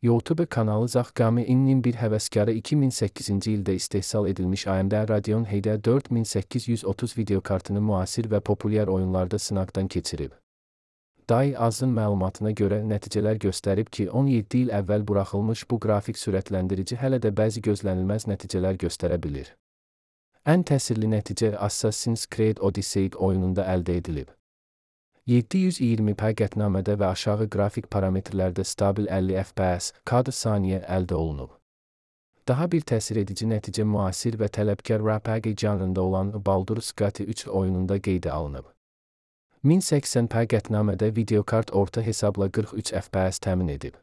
YouTube kanalı Zaqami-nin bir həvəskarı 2008-ci ildə istehsal edilmiş AMD Radeon HD 4830 videokartını müasir və populyar oyunlarda sınaqdan keçirib. DAI Az'ın məlumatına görə nəticələr göstərib ki, 17 il əvvəl buraxılmış bu qrafik sürətləndirici hələ də bəzi gözlənilməz nəticələr göstərə bilir. Ən təsirli nəticə Assassin's Creed Odyssey oyununda əldə edilib. 720p qətnamədə və aşağı qrafik parametrlərdə stabil 50 FPS kadr saniyə əldə olunub. Daha bir təsir edici nəticə müasir və tələbkar RPG janrında olan Baldur's Gate 3 oyununda qeydə alınıb. 1080p qətnamədə videokart orta hesabla 43 FPS təmin edib.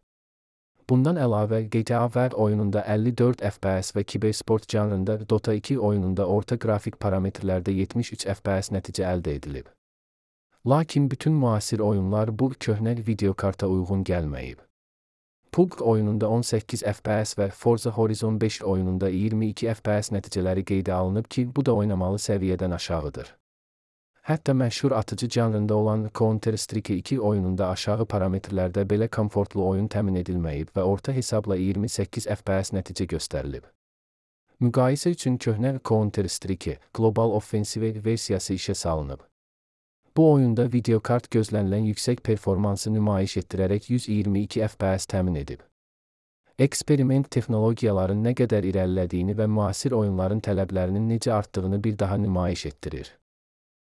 Bundan əlavə GTA V oyununda 54 FPS və kibersport janrında Dota 2 oyununda orta qrafik parametrlərdə 73 FPS nəticə əldə edilib. Lakin bütün müasir oyunlar bu köhnə videokarta uyğun gəlməyib. PUBG oyununda 18 FPS və Forza Horizon 5 oyununda 22 FPS nəticələri qeydə alınıb ki, bu da oynamalı səviyyədən aşağıdır. Hətta məşhur atıcı janrında olan Counter-Strike 2 oyununda aşağı parametrlərdə belə komfortlu oyun təmin edilməyib və orta hesabla 28 FPS nəticə göstərilib. Müqayisə üçün köhnə Counter-Strike Global Offensive versiyası işə salınıb. Bu oyunda videokart gözlənilən yüksək performansı nümayiş etdirərək 122 FPS təmin edib. Eksperiment texnologiyaların nə qədər irəlilədiyini və müasir oyunların tələblərinin necə artdığını bir daha nümayiş etdirir.